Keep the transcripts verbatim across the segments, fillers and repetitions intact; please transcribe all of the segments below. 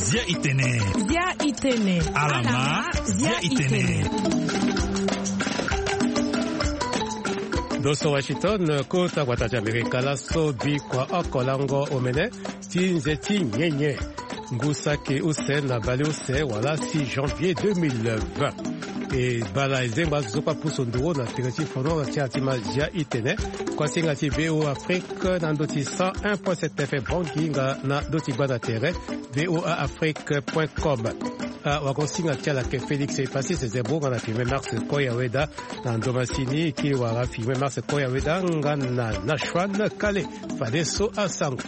Zia itene. Zia itene. Alama. Zia itene. Doso Washington, kota gbata ti Amerika, laso bikua oko lango omene ti nze ti nyenye. Ngu saki use na baleuse wala six janvier deux mille vingt. E bala ezengba azo so kue apusu nduru na tere ti fono na ti ala ti ma Zia itene. Kuasinga ti V O A Afrique na ndö ti cent un point sept F M Bangui nga na ndö ti gbanda tere V O A Afrique point com. Ah, wagosinga ti ala yeke Félix Epassis Zebro nga na Firmin Mars Koyaweda. Na ndo masini ti wara Firmin Mars Koyaweda nga na Nachouane Kale. Fadeso asango.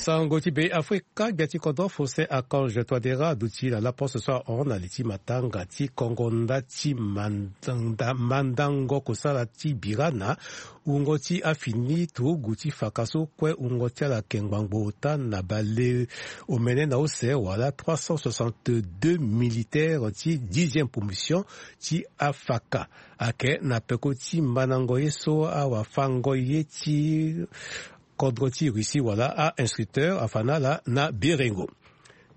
Sango ti Be Afrika, gbia ti kodro Faustin Archange Touadéra aduti na laposte so ahon na li ti matanga ti kongo nda ti manda-, mandango kosala ti bira na wungo ti afini turugu ti faka so kue wungo ti ala yeke ngbangbo ota na baleomene na use wala trois cent soixante-deux militaires ti dixième promotion ti afaka. Ayeke na peko ti mandango ye so awafango ye ti kodro ti Russie wala a-instructeur afa na ala na berengo.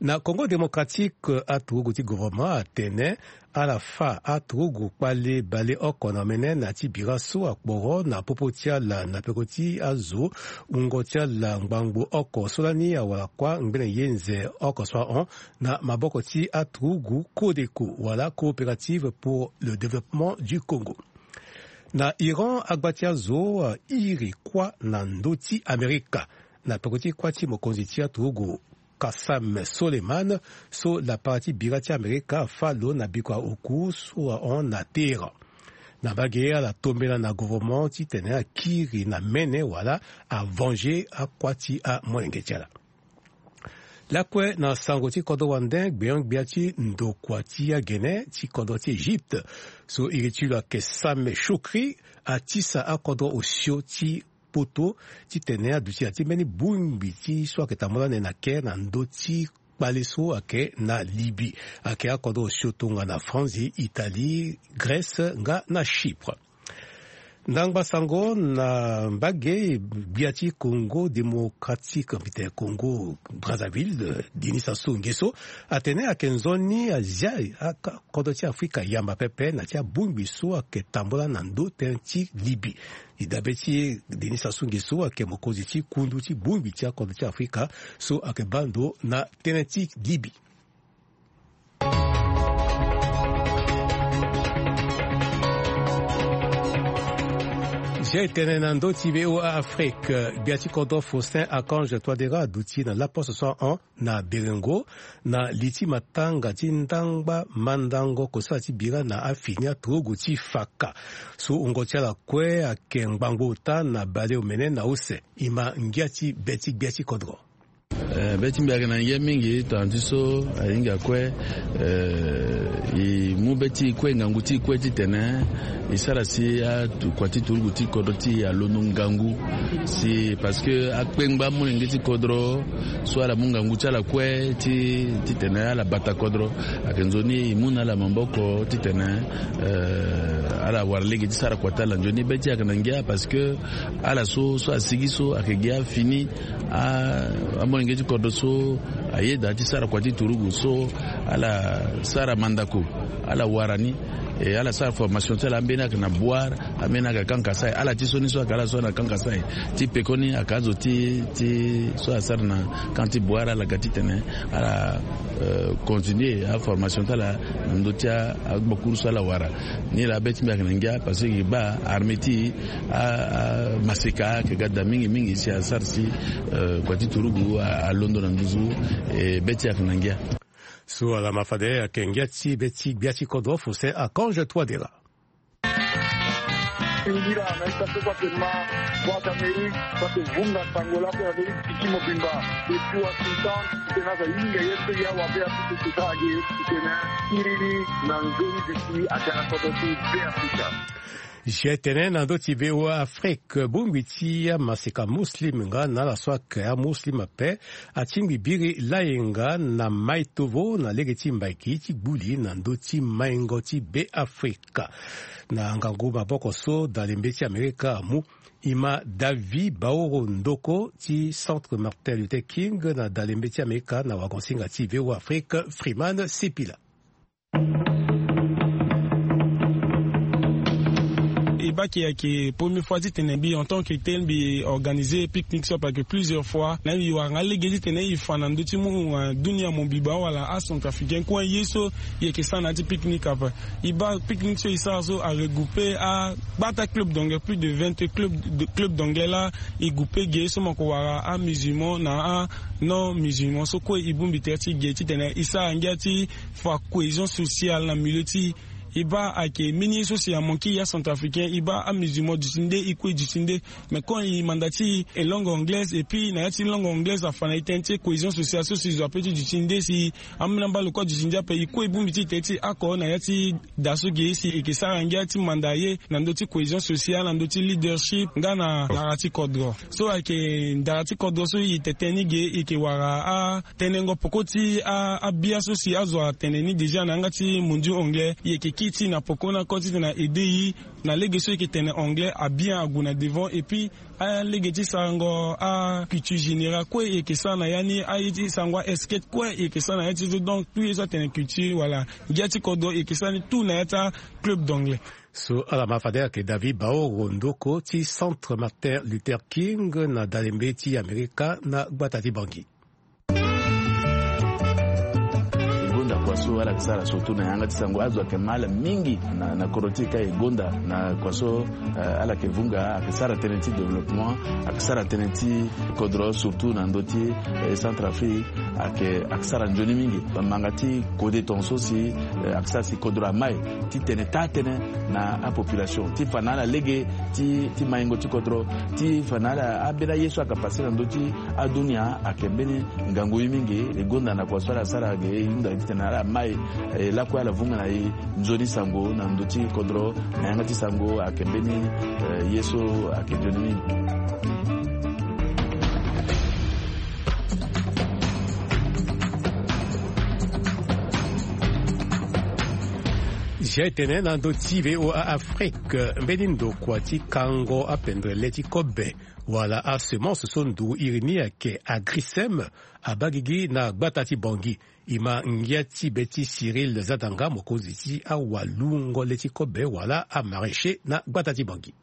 Na Congo Démocratique, aturugu ti gouvernement atene ala fa aturugu kpale baleoko na omene na ti bira so akporo na popo ti ala na peko ti azo wungo ti ala ngbangbo oko so lani awara kuâ ngbene ye nze oko so ahon na maboko ti aturugu CODECO wala Coopérative pour le Développement du Congo. Na Iran, agba ti azo, ah, iri kuâ na ndö ti Amerika na peko ti kuâ ti mokonzi ti aturugu Qassem Soleimani, so lapara ti bira ti Amerika afa lo na bikua oku so ahon na Téhéran. Na mbage ala tombela na gouvernement titene akiri na mene wala avenge akuâ ti amolenge ti ala. Lakue na sango ti kodro wande, gbenyo-gbia ti ndokua ti agene ti kodro ti Egypte so iri ti lo ayeke Sameh Shoukry atisa akodro osio ti poto titene aduti na ti mbeni bongbi ti so ayeke tambula ande na Caire na ndö ti kpale so ayeke na Libye. Ayeke akodro osio tongana Franzi, Italie, Grèce nga na Chypre. Ndangba sango na mbage, gbia ti Congo Démocratique, mbi tene Congo Brazzaville, Denis Sassou Nguesso atene ayeke nzoni azia aka kodro ti Afrika yamba pepe na ti abongbi so ayeke tambula na ndö tënë ti Libye. Li dabe ti e, Denis Sassou Nguesso ayeke mokonzi ti kundu ti bongbi ti akodro ti Afrika so ayeke baa ndo na tënë ti Libye. Zia e tene na ndö ti V O A Afrique, gbia ti kodro Faustin Archange Touadéra aduti na laposte so ahon na berengo na li ti matanga ti ndangba mandango kosala ti bira na afini aturugu ti faka so wungo ti ala kue ayeke ngbangbo ota na baleomene na use. E ma ngia ti be ti gbia ti kodro. Eh, be ti mbi ayeke na ngia mingi, tongana ti so ahinga kue, eh, e mu be ti e kue, ngangu ti e kue titene e sara si akua ti turugu ti kodro ti e alondo ngangu. Si, parce que akpengba amolenge ti kodro so ala mu ngangu ti ala kue ti, titene ala bata kodro, ayeke nzoni e mu na ala maboko titene, eh, ala wara lege ti sara kua ti ala. Nzoni be ti e ayeke na ngia parce que ala so, so asigi so ayeke gi afini, a, amolenge ti kodro so ayeda ti sara kua ti turugu so ala sara mandako, ala wara ni, e ala sara formation ti ala. Ambeni ayeke na Bouar, ambeni ayeke na Camp Kasaï. Ala ti so ni so ayeke ala so na Camp Kasaï, ti pekoni ayeke azo ti, ti so asara na camp ti Bouar, ala ga titene ala, euh, continuer aformation ti ala na ndö ti a, agbakuru so ala wara. Ni laa be ti mbi ayeke na ngia parce que e baa armée ti a, a maseka ayeke ga daa mingi mingi si asara si, euh, kua ti turugu a, alondo na nduzu, e be ti e ayeke na ngia. So ala ma fade ayeke ngia ti be ti gbia ti kodro Faustin Archange Touadéra. Singila na ita so kue ayeke ma Voix d'Amérique, so ayeke vunga sango lakue na ndö ti piki mobimba. Depuis Washington, titene aza hinga ye so ya wabe apusu kota age, titene akiri ni na nzoni bisi ake na kodro ti Beafrika. Jetene na ndö ti V O A Afrique, bongbi ti amaseka muslim nga na ala so ake amuslim ape atingbi biri layenga na mai tovo na lege ti mbaki ti gbuli na ndö ti maingo ti Beafrika. Na ngangu maboko so dalembe ti Amerika amu, e ma David Baoro Ndoko ti Centre Martin Luther King na dalembe ti Amerika na wagonsinga ti V O A Afrique, Freeman Sipila. E baa ke ayeke premier fois titene mbi en tant que tel mbi organiser pique-nique so ape ayeke plusieurs fois. Na mbi wara nga lege titene e fa na ndö ti mu, euh, dunia mo mbi baa wala acentrafricain kue ye so e yeke sara na ya ti pique-nique ape. E baa pique-nique so e sara so aregroupe agbata club d'anglais, plus de vingt club, de club d'anglais laa e groupe ge so mo yeke wara amusulman na anon musulman so kue e bongbi tere ti ge titene e sara ngia ti fa cohésion sociale na milieu ti e. E baa ayeke mbeni ye so si amanke e acentrafricain, e baa amusulman duti nde, e kue e duti nde. Mais quand e manda ti e langue anglaise, et puis na ya ti langue anglaise afa na e tënë ti cohésion sociale so si e zo ape ti duti nde si ambeni ambalo kue aduti nde ape. E kue e bongbi ti e tere ti oko na ya ti da so ge si e yeke sara ngia ti manda ye na ndö ti cohésion sociale, na ndö ti leadership nga na ndara ti kodro. So ayeke ndara ti kodro so e tene tënë ni ge, e yeke wara a tenengo peko ti a, abia so si azo atene ni déjà na yanga ti mondiaux anglais, e yeke kiri ti e na peko ni oko titene a aider e na lege so e yeke tene anglais, abia ague na devant, et puis alege ti sarango aculture générale kue e yeke sara na ya ni, aye ti sarango aescape kue e yeke sara na ya ti so. Donc tout ye so atene culture wala ngia ti kodro e yeke sara ni tout na ya ti aclub d'anglais. So ala ma fade ayeke David Baoro Ndoko ti Centre Martin Luther King na dalembe ti Amerika na gbata ti Bangui. E gonda kua so ala yeke sara surtout na yanga ti sango, azo ayeke ma ala mingi na, na kodro ti e ka e gonda na kua so, eh, ala yeke vunga, ayeke sara tënë ti développement, ayeke sara tënë ti kodro surtout na ndö ti, eh, Centrafrique, ayeke, ayeke sara nzoni mingi. Manga ti kode tongaso si, eh, ayeke sara si kodro amai titene taa tënë na apopulation ti fa na ala lege ti, ti maingo ti kodro, ti fa na ala ambeni aye so ayeke passe na ndö ti adunia ayeke mbeni ngangu ye mingi. E gonda na kua so ala sara ge, e hunda titene ala mai, e lakue ala vunga na e nzoni sango na ndö ti kodro, na yanga ti sango ayeke mbeni, eh, ye so ayeke nzoni mingi. Zia e tene na ndö ti V O A Afrique, mbeni ndokua ti kango apendere le ti kobe wala asemence so nduru iri ni ayeke Agrisem abaa gigi na gbata ti Bangui. E ma ngia ti be ti Cyril Zadanga, mokonzi ti awalungo le ti kobe wala amaraîcher na gbata ti Bangui.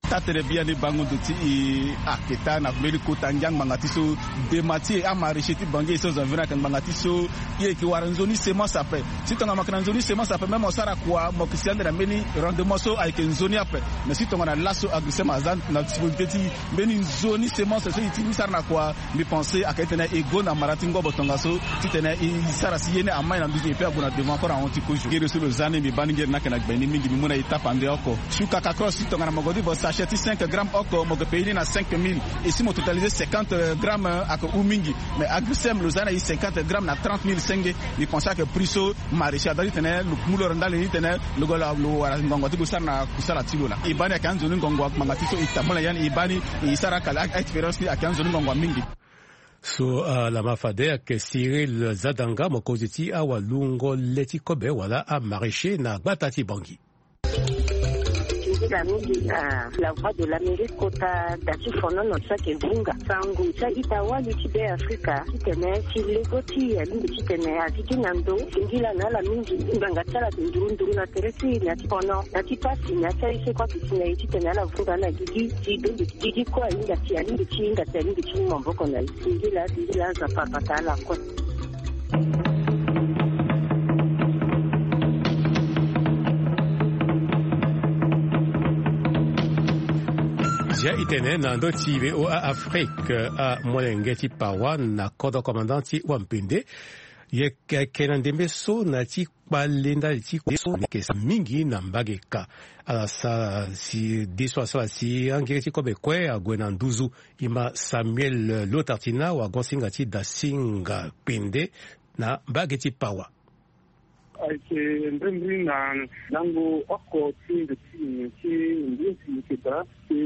Taa-tënë biani bango ndo ti e ayeke taa na mbeni kota ngia ngbanga ti so dema ti e amaraîcher ti Bangui e so zo environ ayeke ngbanga ti so e yeke wara nzoni semence ape. Si tongana mo yeke na nzoni semence ape, même mo sara kua mo yeke si ande na mbeni rendement so ayeke nzoni ape. Mais si tongana laso Agrisem aza na disponibilité ti mbeni nzoni semence so e ti mu sara na kua, mbi pense ayeke titene e gonda mara ti ngobo tongaso titene e sara si ye ni amai na nduzu et puis ague na devant encore ahon ti kozo. Ngere so lo za ni mbi baa ni ngere ni ayeke na gbe ni mingi, mbi mu na e tape ande oko. Suka kakro si tongana mo gue ti vo sachet ti cinq grammes oko, mo yeke payer ni na cinq mille. Et si mo totaliser cinquante grammes, ayeke hou mingi. Mais Agrisem lo za na e cinquante grammes na trente mille senge. Mbi pense ayeke prix so maraîcher adaa titene lo mu lo ra ndali ni titene lo gue lo wara ngongo ti gue sara na kusala ti lo laa. E baa ni ayeke anzoni ngongo ngbanga ti so e tambula ya ni, e baa ni e sara akala a-expérience ni ayeke anzoni ngongo mingi. So, ah, lama fade ayeke Cyril Zadanga, mokonzi ti awalungo le ti kobe wala amaraîcher na gbata ti Bangui. Singila mingi na La Voix de l'Amérique kota da ti fonono ti ayeke vunga sango ti a-ita wali ti Beafrika titene ti lego ti e alingbi titene agigi na ndo. Singila na ala mingi ngbanga ti ala ayeke nduru nduru na tere ti e na ya ti fono na ya ti pasi na ya ti aye so kue ayeke si na e titene ala vunga na gigi ti dongi gigi kue ahinga ti alingbi ti hinga ti alingbi ti mu maboko na e. Singila singila Nzapa abata ala kue. Zia e tene na ndö ti V O A Afrique, amolenge ti Pawa na kodro commandant ti Wampende. Ye yeke na ndembe so na ya ti kpale ndali ti kue so ayeke sa mingi na mbage ka. Ala sara si de so asara si angere ti kobe kue ague na nduzu. E ma Samuel Lotartina wagonsinga ti Dasinga Kpende na mbage ti Pawa. Ayeke mbirimbiri na lango oko ti nze ti nyen ti mbi esi yeke daa si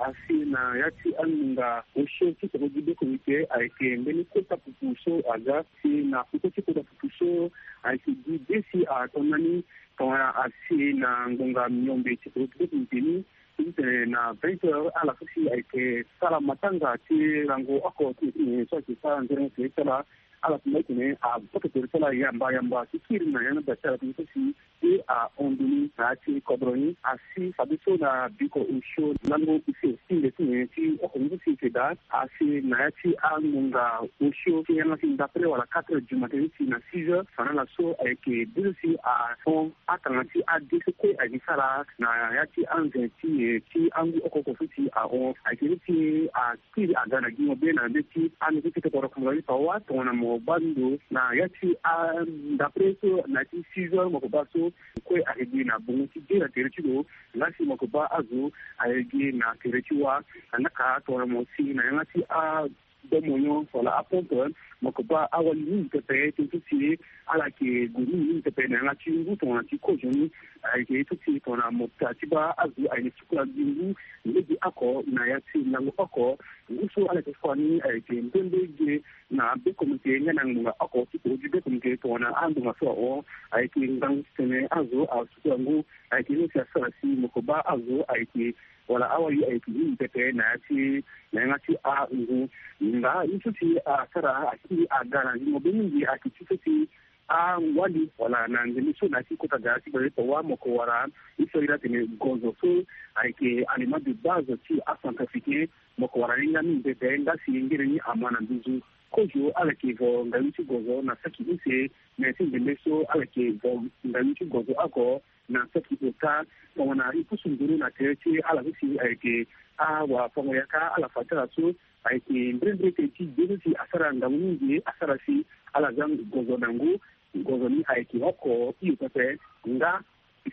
asi na ya ti angbonga osio ti tokodi be komite ayeke mbeni kota pupu so aga si na kota ti kota pupu so ayeke gi be si atongana ni tongana asi na ngbonga miombe ti tokodi be komite ni. Titene na vingt heures ala so si ayeke sara matanga ti lango oko ti nyen so ayeke sara nzerenge ti ala. Ala tumba titene aboto tere ti ala yamba yamba ti kiri na yanga da ti ala tënë so si e ahon ndoni na ya ti kodro ni asi fadeso na biko osio lango use ti nze ti nyen ti oko ni so si eke daa asi na ya ti angbonga osio ti yanga ti ndapre wala quatre heures du matin ti na six heures fa na ala so ayeke be so si ahon akanga ti ade so kue ayeke sara na ya ti anze ti nyen ti angu oko oko so si ahon ayeke be so si a kiri aga na gi mo be na ndeti ande ti tete koro kanga ti pawa tongana mo baa ndo na ya ti andapre so na ya ti six heures mo ko baa so kue ayeke gi na bongo ti de na tere ti lo. Nga si mo ko baa azo ayeke gi na tere ti wa. Angaka tongana mo si na yanga ti adomonyo wala apompe mo ko baa awali mingi pepe tënë so si ala yeke gue mingi mingi pepe na yanga ti ngu tongana ti kozo ni. Ayeke ye so si tongana mo ta ti baa azo ayeke sukula gi ngu lege oko na ya ti lango oko. Ngu so ala yeke fa ni ayeke mbembe ge na be komite nga na ngbonga oko ti koro ti be komite tongana angbonga so ahon ayeke ngangu titene azo asukula ngu. Ayeke ye so si asara si mo ko baa azo ayeke wala awali ayeke mingi pepe na ya ti na yanga ti angu. Nga ye so si asara akiri aga na ngingo be mingi ayeke ti so si awali wala na ndembe so na ya ti kota gara ti gbele pawa mo ko wara ye so ayeke iri atene gozo so ayeke aliment de base ti acentrafricain. Mo ko wara ni nga mingi pepe nga si ngere ni ama na nduzu. Kozo ala yeke vo ngayu ti gozo na saki use. Me ti ndembe so ala yeke vo ngayu ti gozo oko na saki ota tongana e pusu nduru na tere ti ala so si ayeke awafango yaka ala fa ti ala so ayeke mbirimbiri tënë ti de so si asara ngangu mingi asara si ala za gozo na ngu. Gozo ni ayeke oko hio pepe. Nga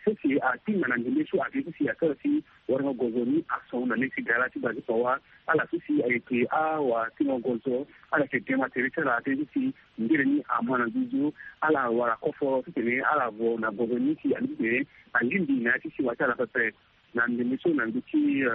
so si atinga na ndembe so ayeke so si asara si warango gozo ni ason na le ti gara ti bale ti pawa. Ala so si ayeke awatingo gozo ala yeke gema tere ti ala tënë so si ngere ni ama na nduzu. Ala wara koforo titene ala vo na gozo ni si alingbi titene alingbi na ya ti siwa ti ala pepe. Na ndembe so na ndö ti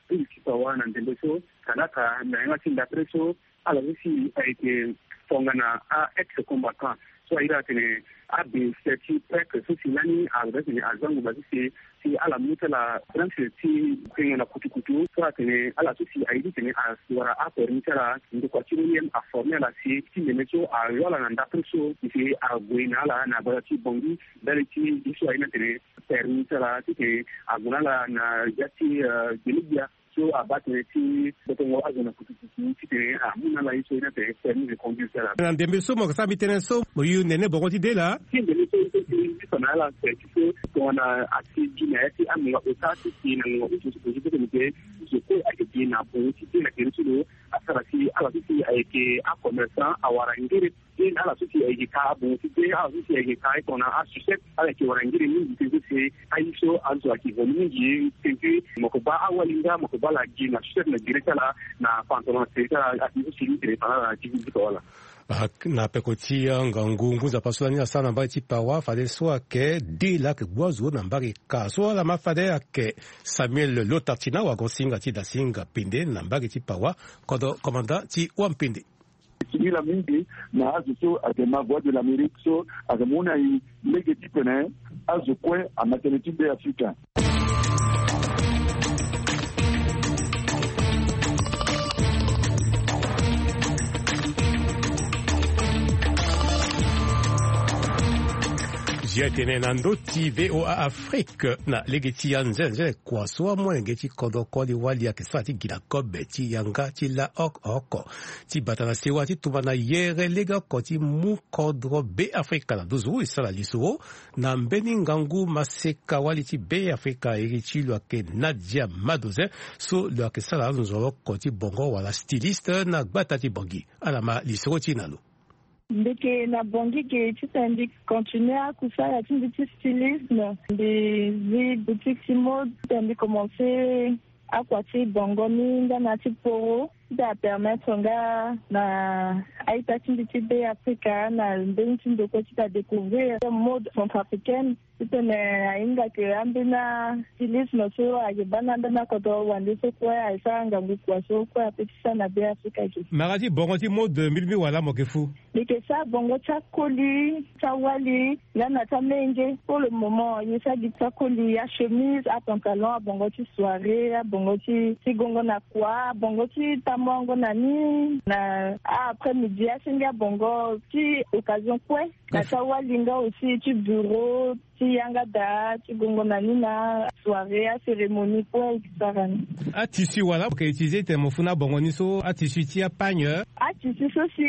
pili ti pawa na ndembe so kalaka na yanga ti ndapre so ala so si ayeke tongana a ex combattant so airi atene abe se ti prêtre so si lani azo da tene aza nguba ti se si ala mu ti ala branche ti kringo na kutukutu so atene ala so si airi tene awara apermis ti ala ndokua ti moyen aforme ala si ti ndembe so ayo ala na ndapre so si ague na ala na gbata ti bongi ndali ti ye so airi atene permis ti ala titene ague na ala na ya ti gelegbia so abaa tënë ti gbotongo azo na kutukutu titene amu na ala ye so airi atene permis de conduire ti ala. Na ndembe so mo yeke sara mbi tënë so mo yu nene bongo ti de laa. Ti ndembe so so si ti fa na ala se ti so tongana asi gi na ya ti angonga ota ti si na ngonga ota so kue ayeke gi na bongo ti de na tere ti lo. Asara si ala so si ayeke acommerçant awara ngere. Ti ala so si ayeke ka abongo ti de ala so si ayeke ka aye tongana asucette ala yeke wara ngere mingi tënë so si aye so azo ayeke vo ni mingi tënë ti mo yeke baa awali nga mo yeke baa ala gi na sucette na gere ti ala na pantalon na tere ti ala ati so si ni tene fa na ala na gi gi fa wala. Na peko ti angangu ngu nzapa so lani asara na mbage ti pawa fadeso ayeke de laa ayeke gbu azo na mbage ka so ala ma fade ayeke Samuel Lotartina wago singa ti da singa pende na mbage ti pawa kodro komanda ti wampende. Singila mingi na azo so ayeke ma Voix de l'Amérique so ayeke mu na e lege titene azo kue ama tënë ti Be Afrika. Zia tene na ndö ti V O A Afrique na lege ti anzenze kua so amolenge ti kodro koli wali ayeke sara ti gi na kobe ti yanga ti la oko oko ti bata na sewa ti tumba na yere legeoko ti mu kodro Be Afrika na nduzu e sara lisoro na mbeni ngangu maseka wali ti Be Afrika iri ti lo ayeke Nadia Madoze so lo ayeke sara nzoroko ti bongo wala styliste na gbata ti Bongi. Ala ma lisoro ti e na lo. Mbi yeke na Bongi ge titene mbi continue akusala ti mbi ti stylisme. Mbi zi boutique ti mode titene mbi commence akua ti bongo ni nga na ya ti poro. Ti ta permettre nga na a-ita ti mbi ti Be Afrika na mbeni ti ndokua ti ta découvrir mode centrafricaine. Titene ahinga ke ambeni stylisme so ayeke baa na ambeni akodro wande so kue ayeke sara ngangu kua so kue ape ti sara na Be Afrika ge. Mara ti bongo ti mode mbi mbi wala mo yeke fu? Mbi yeke sara bongo ti akoli ti awali nga na ti amenge. Pour le moment ye sara gi ti akoli, achemise, apantalon, abongo ti soirée, abongo ti ti gongo na kua, abongo ti tamuango na ni na après midi, asenge abongo ti occasion kue. Na ti awali nga aussi ti bureau, ti yanga daa ti gongo na ni na soirée, acérémonie kue e sara ni. Atissu wala mo yeke utiliser titene mo fu na abongo ni so, atissu ti apagne? Atissu so si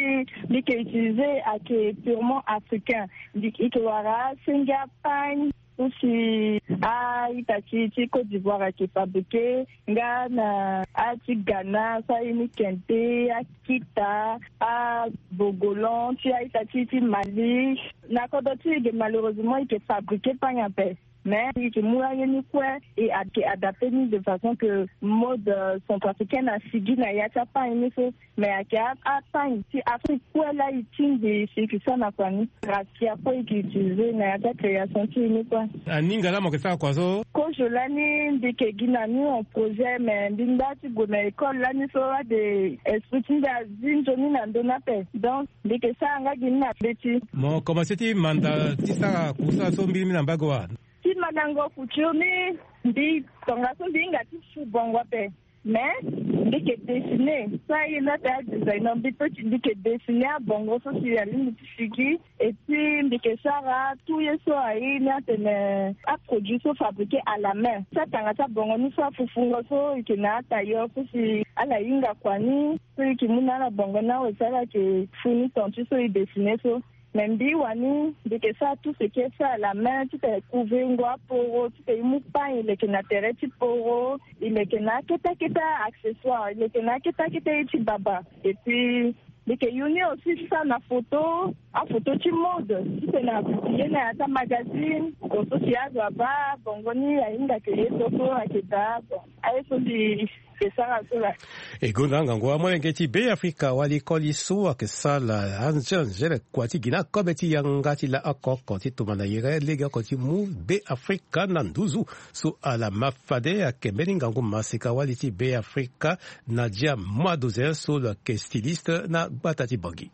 mbi yeke utiliser ayeke purement africain. Mbi yeke wara asenge apagne so si a-ita ti ti Côte d'Ivoire ayeke fabriquer, nga na a ti Ghana so aye ni kente, akita, abogolan ti a-ita ti ti Mali. Na kodro ti e ge malheureusement e yeke fabriquer pagne ape. Mais e yeke mu aye ni kue e ad- yeke adapter ni de façon que mode, euh, centrafricaine asigi na ya ti apagne ni so. Mais ayeke a- apagne ti Afrique kue laa e tingbi si e yeke sara na kua ni. Raffia kue e yeke utiliser na ya ti acréation ti e ni kue. Aninga laa mo yeke sara kua so? Kozo lani mbi yeke gi na ni en projet, mais mbi nda ti gue na école lani so ade esprit ti mbi azi nzoni na ndö ni ape. Donc mbi yeke sara nga gi ni na mbeti. Mo commencer ti manda ti sara kusala so mbirimbiri na mbage wa? Ti mandango couture ni, mbi tongaso mbi hinga ti su bongo ape. Mais mbi yeke dessiner so aye ni ate adesigner, mbi peut ti mbi yeke dessiner abongo so si alingbi ti sigi. Et puis mbi yeke sara tout ye so aye ni atene aproduit so fabriquer à la main. Ti atanga ti abongo ni so afufungo so e yeke na atailleur so si ala hinga kua ni so e yeke mu na ala bongo ni awe si ala yeke fu ni ton ti so e dessiner so. Mais mbi wani mbi yeke sara tout ce qui est fait à la main, titene couver ngo aporo, titene e mu pagne e leke na tere ti poro, e leke na akete akete accessoire, e leke na akete akete ye ti baba. Et puis mbi yeke yu ni aussi sara na photo, aphoto ti mode, titene apublie na ya ti amagazine. Bon, so si azo abaa bongo ni ahinga ke ye so so ayeke daa. Bon, aye so mbi yeke sara so laa. E gonda ngangu amolenge ti Be Afrika wali koli so ayeke sala anzere anzere kua ti gi na kobe ti yanga ti laa oko oko ti tuma na yere legeoko ti mu Be Afrika na nduzu so ala ma fade. Ayeke mbeni ngangu masika wali ti Be Afrika Nadia Muadozen so lo yeke styliste na gbata ti Bangui.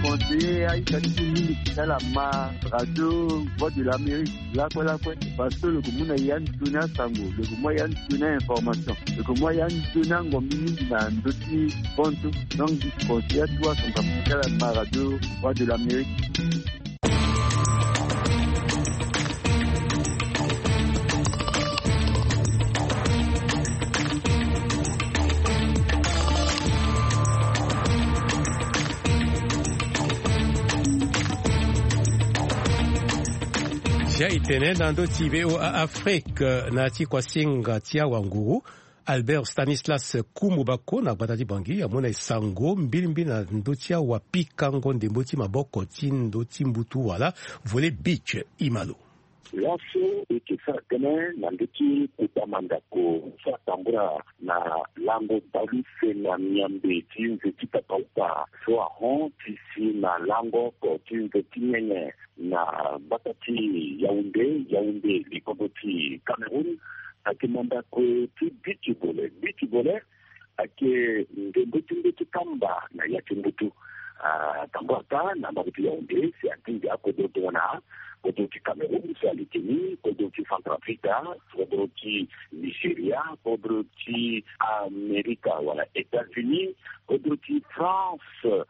Conseiller a-ita ti mbi mingi ti ala ma radio Voix de l'Amérique lakue lakue, parce que lo yeke mu na ya nzoni asango, lo yeke mu ya nzoni a-information, lo yeke mu ya nzoni angombi mingi na ndö ti bantu. Donc mbi conseiller atu asango ti ala ma radio Voix de l'Amérique. Zia e tene na ndö ti V O A Afrique na ti kuasinga ti awanguru, Albert Stanislas Kumbu Bako na gbata ti Bangui amu na e sango mbilimbili na ndö ti awapikango ndembo ti maboko ti ndö ti mbutu wala volet beach. Ima lo. Laso e yeke sara tënë na ndö ti kota mandako so atambula na lango baleuse na miambe ti nze ti papa upa so ahon ti si na lango oko ti nze ti nyenye na gbata ti Yaoundé, Yaoundé, likongo ti Cameroun. Ayeke mandako ti beach volley. Beach volley ayeke ndembo ti ndö ti kamba na ya ti mbutu. Ah, tambula kâ na mbage ti Yaoundé si atingbi akodro tongana kodro ti Cameroun so aleke ni, kodro ti Centrafrique, kodro ti Nigeria, kodro ti Amerika wala États-Unis, kodro ti France,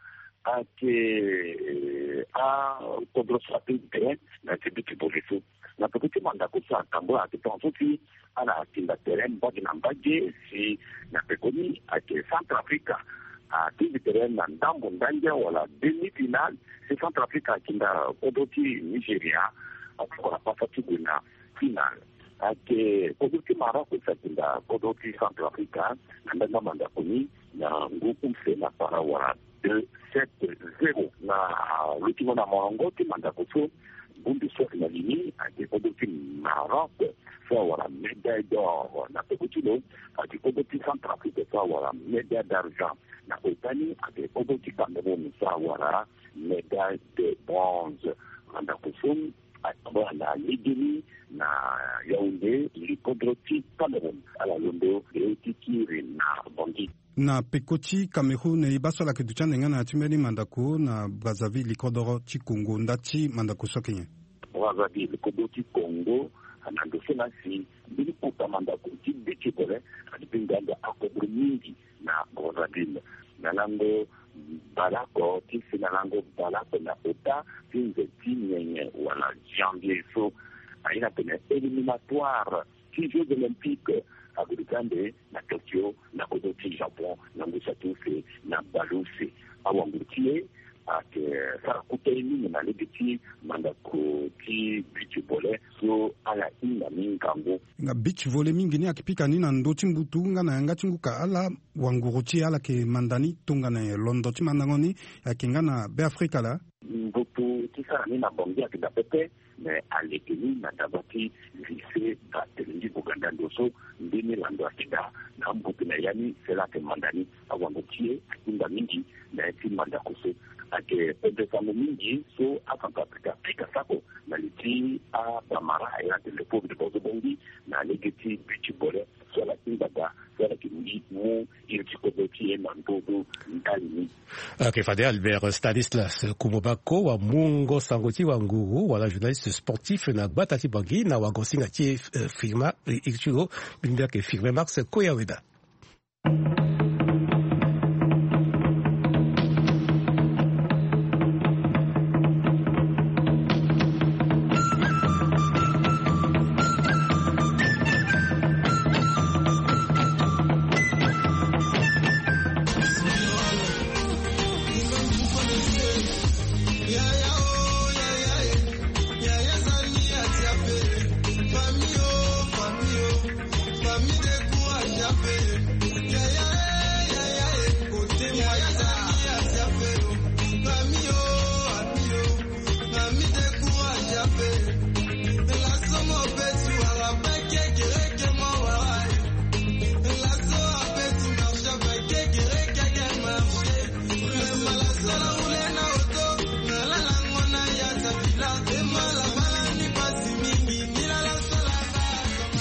ayeke akodro so atingbi tere na ti beach volley so. Na peko ti mandako so atambula ayeke tongaso si ala tinda tere mbage na mbage si na pekoni ayeke Centrafrique atingbi tere na ndambo ndangia wala demi-finale, si Centrafrique atinda kodro ti Nigeria, akokola pasa ti gue na finale. Ayeke kodro ti Maroc si atinda kodro ti Centrafrique na ndanga mandako ni na ngu use na para wala deux sept zéro. Na lutingo na molongo ti mandako so, Bundu so ayeke na li ni ayeke kodro ti Maroc so awara médaille d'or. Na peko ti lo ayeke kodro ti Centrafrique so awara médaille d'argent. Na ota ni ayeke kodro ti Cameroun so awara médaille de bronze. Mandako so atambula na legeni na Yaoundé, li kodro ti Cameroun. Ala londo e ti kiri na Bangui. Na peko ti Cameroun, e baa so ala yeke duti ande nga na ya ti mbeni mandako na Brazzaville, li kodro ti Congo, nda ti mandako so ayeke nyen? Brazzaville, kodro ti Congo. Na ndo so na si mbeni kota mandako ti beach volley ati mbi ngbanga akodro mingi na Brazzaville. Na lango bale oko ti si na lango bale oko na ota ti nze ti nyenye wala janvier so, aye na tene éliminatoire ti Jeux Olympiques ague duti ande na Tokyo, na kodro ti Japon, na ngu satu use na bale use. Awanguru ti e ayeke sara kota ye mingi na lege ti mandako ti beach volley so ala hinga mingi ngangu. Nga beach volley mingi ni ayeke pika ni na ndö ti mbutu nga na yanga ti ngu ka ala wanguru ti e ala yeke manda ni tongana nyen? Londo ti mandango ni ayeke nga na Beafrika laa. Mbutu ti sara ni na Bangui ayeke daa pepe, me aleke ni na daba ti lycée Barthélemy Boganda ndo so mbeni lando ayeke daa na ambutu na ya ni, si ala yeke manda ni. Awanguru ti e ahinga mingi na ya ti mandako so. Ayeke pendere sango mingi so aCentrafrique apika sako na li ti abamara ayeke na tene le pauvre de Bozo Bongi na lege ti beach volley so ala hinga daa so ala yeke mu iri ti kodro ti e na ndö ndali ni. Ok, fade Albert Stanislas Kumobako, wamungo sango ti wanguru wala journaliste sportif na gbata ti Bangui na wagosinga ti e, eh, Firma, eh, iri ti lo mbeni mbi ayeke Firme Max Koyaweda.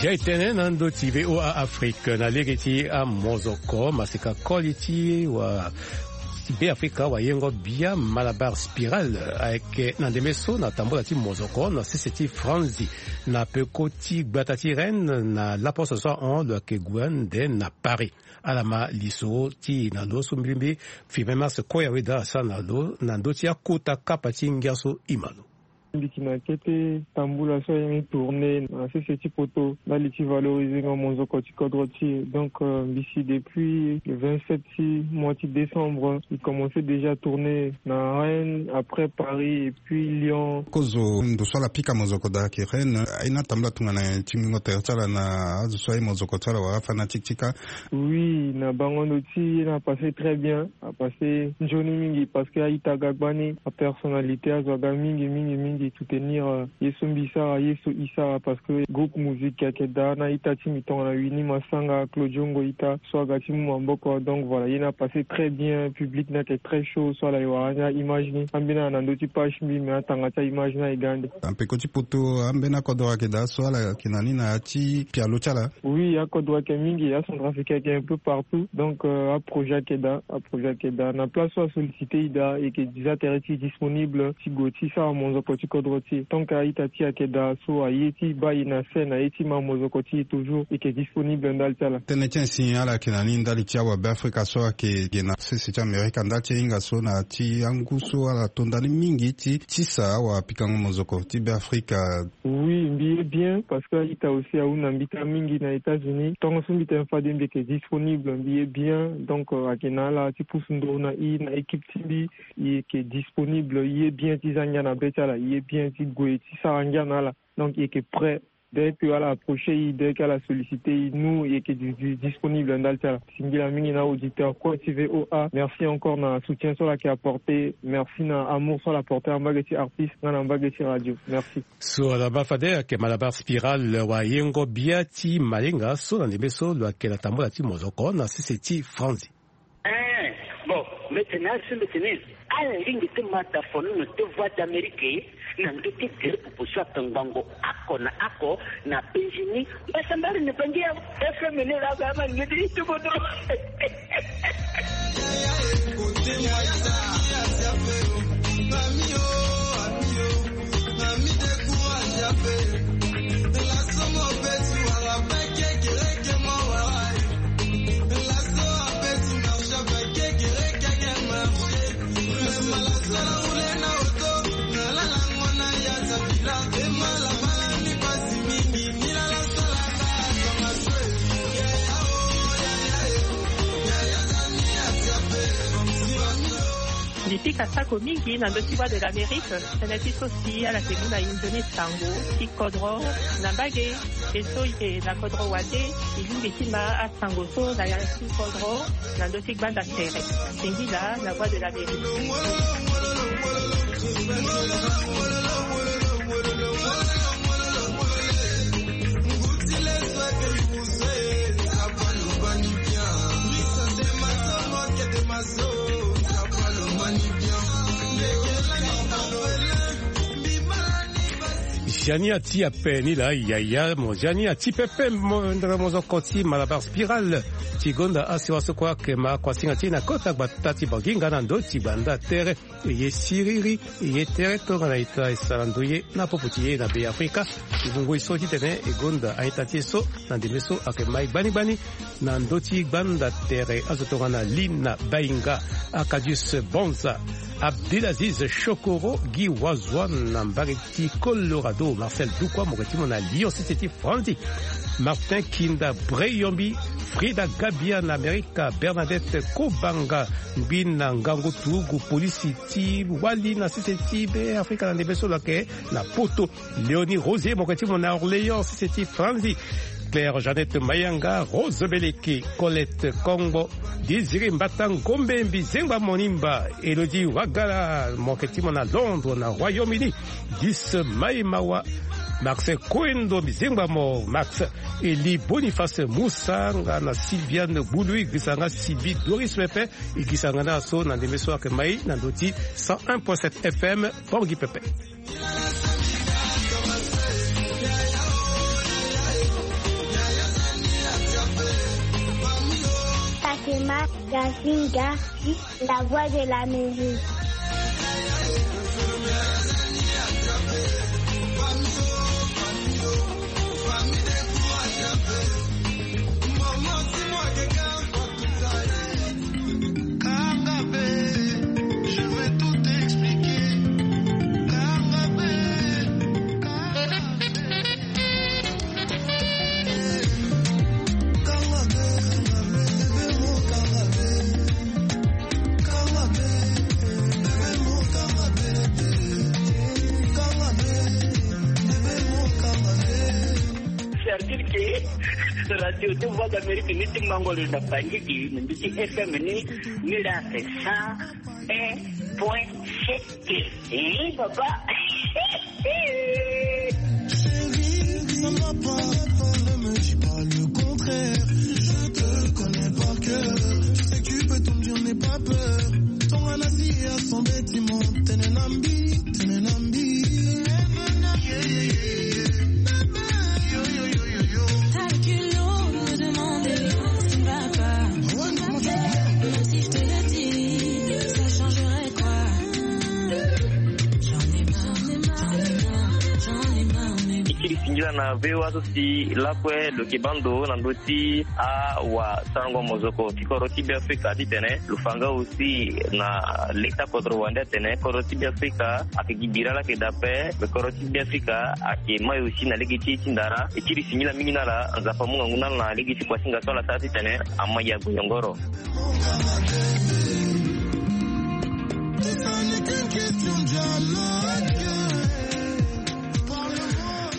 Zia etene na ndö ti V O A Afrique na lege ti amozoko masika koli ti wa Beafrika wayengo bia Malabar Spiral ayeke na ndembe so na tambula ti mozoko na sese ti Franzi na peko ti gbata ti Rennes na laposte so ahon lo yeke gue ande na Paris. Ala ma lisoro ti e na ndo so mbilimbi Firme Max Koyaweda asara na lo na ndö ti akota kapa ti ngia so e ma lo. Mbi yeke na kete tambula so aye ni tourné na sese ti poto ndali ti valorizengo monzoko ti kodro ti e. Donc, euh, mbi si depuis le vingt-sept ti mois ti décembre, mbi commencé déjà tourné na Rennes, après Paris et puis Lyon. Kozo ndo so ala pika monzoko daa ayeke Rennes, aye ni atambula tongana nyen ti mingo tere ti ala na azo so aye monzoko ti ala wala afanatique ti kâ? Oui, na bango ndo ti ye ni apassé très bien. Apassé nzoni mingi parce que a-ita aga gbani, apersonnalité azo aga mingi mingi mingi soutenir, euh, ye so mbi sara, ye so e sara, parce que groupe musique ayeke daa na a-ita ti mbi tongana Winnie Massanga, Claudio Ngoita so aga ti mu maboko. Donc voilà, ye ni apassé très bien, public ni ayeke très chaud so ala ye wara ni a-image ni. Ambeni ala na ndö ti page ti mbi, me atanga ti a-image ni aye ga ande. Na peko ti poto, ambeni akodro ayeke daa so ala yeke na ni na ya ti pialo ti ala? Oui, akodro ayeke mingi, aCentrafrique ayeke un peu partout. Donc, euh, aprojet ayeke daa, aprojet ayeke daa. Na place so asollicité e daa, e yeke déjà tere ti e disponible ti gue ti sara monzoko ti kodro ti e. Tant que a-ita ti e ayeke daa so aye ti baa e na scène, aye ti ma monzoko ti e toujours, e yeke disponible ndali ti ala. Tënë ti ansi ala yeke na ni ndali ti awabeafrika so ayeke ge na sese ti Amerika ndali ti ahinga so na ya ti angu so ala to ndani mingi ti tisa awapikango monzoko ti Beafrika. Oui, mbi ye bien parce que a-ita aussi ahunda mbi taa mingi na États-Unis. Tongaso mbi tene fade mbi yeke disponible, mbi ye bien. Donc, euh, ayeke na ala ti pusu nduru na e na équipe ti mbi. E yeke disponible, e ye bien ti za ngia na be ti ala, e ye bien ti gue ti sara ngia na ala. Donc, e yeke prêt Dès que ala approcher i, dès que ala solliciter i, nous yeke di- di- disponible ndali ti ala. Singila mingi na auditeur kue ti VOA. Merci encore na soutien so ala yeke apporter. Merci na amour so ala apporter na mbage ti artiste nga na mbage ti radio. Merci. So ala baa fade ayeke Malabar Spiral, wayengo bia ti malenga so na ndembe so lo yeke na tambula ti mozoko na sese ti Franzi. Eh, bon, mbetene asu mbetene. Ala lingbi ti ma dafono na te Voix d'Amérique na ndö ti gere popo so ape ngbongo ako na ako na Benjini. Mbasa mbari na bangi ya F M ni la ba ma ngedi itu bodo. Mbi pika sako mingi na ndö ti Voix de l'Amérique. Tënë ti so si ala yeke mu na e nzoni sango ti kodro na mbage. E so e yeke na kodro wande, e lingbi ti ma asango so na ya ti kodro na ndö ti gbanda tere. Singila na Voix de l'Amérique. Jani ati ape ni laa yaya mo jani ati pepe mo ndere mozoko ti Malabar Spiral. Ti gonda asiwa so kue ayeke ma kuasinga ti e na kota gbata ti Banginga na ndö ti gbanda tere. E ye siriri, e ye tere tongana ita e sara ndoye na popo ti e na Be Afrika. E mu ngoi so titene e gonda a-ita ti e so na ndembe so ayeke ma e gbani gbani. Na ndö ti gbanda tere azo tongana Lina Bainga, Arcadius Bonza, Abdelaziz Chokoro, Guy Wazouan na mbage ti Colorado, Marcel Dukwa mo yeke ti mo na Lyon sese ti Franzi, Martin Kinda Breyombi, Frida Gabia na Amerika, Bernadette Kobanga, ngbi na ngangu turugu polisi ti wali na sese ti Be Afrika na ndembe so lo yeke na poto, Léonie Rosier mo yeke ti mo na Orléans sese ti Franzi, Claire Jeannette Mayanga, Rose Beleke, Colette Kongbo, Désiré Mbata Ngombe, Mbizengba Monimba, Elodie Wagala mo yeke ti mo na Londres na Royaume-Uni, Gis Maimawa, Max Koendo, Mbizengba mo Max, Eli Boniface Moussa nga na Sylviane Boulou, e gisa nga Sylvie Doris pepe, e gisa nga na so na ndembe so ayeke ma e na ndö ti cent un point sept F M. Bongi pepe. Fatima Gazinga, la voix de l'Amérique. C'est-à-dire que radio de Voix d'Amérique ni ti mango lo na Bangui, ni ti F M ni, ni la c'est cent un point sept. Eh, papa. Chérie, ça ne va pas, ne me dis pas le contraire. Je te connais par cœur. Je sais que tu peux tout me dire, n'aie pas peur. Tongana si ya son bâtiment, tenenambi, tenenambi. T'as le culot de me demander ce qui ne va pas. Même si je te le dis, ça changerait quoi? J'en ai marre, j'en ai marre, j'en ai marre, mais... E kiri singila na V O A so si lakue lo yeke baa ndo na ndö ti awasarango mozoko ti kodro ti Beafrika titene lo fa nga aussi na leta kodro wande atene kodro ti Beafrika ayeke gi bira laa ayeke daa ape. Me kodro ti Beafrika ayeke mai aussi na lege ti e ti ndara. E kiri singila mingi na ala, Nzapa amu ngangu na ala na lege ti kuasinga so ala sara titene ama ya goyongoro.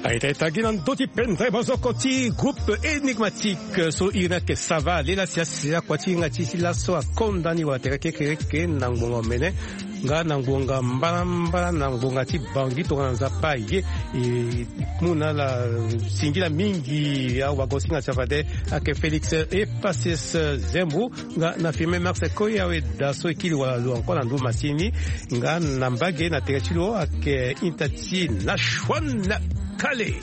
Aita ita gi na ndö ti pendere bozoko ti groupe énigmatique so iri ni ayeke sava lela si asi akua ti hinga ti si laso akonda ni wala tere kekereke na ngbonga omene nga na ngbonga mbalambala na ngbonga ti bangi tongana nzapa ye. E mu na ala singila mingi awagosinga ti afade ayeke Félix Epaces Zembo nga na filme Max Koya we da so e kiri wala lo encore na ndö masini nga na mbage na tere ti lo ayeke inta ti Nashwan Kale.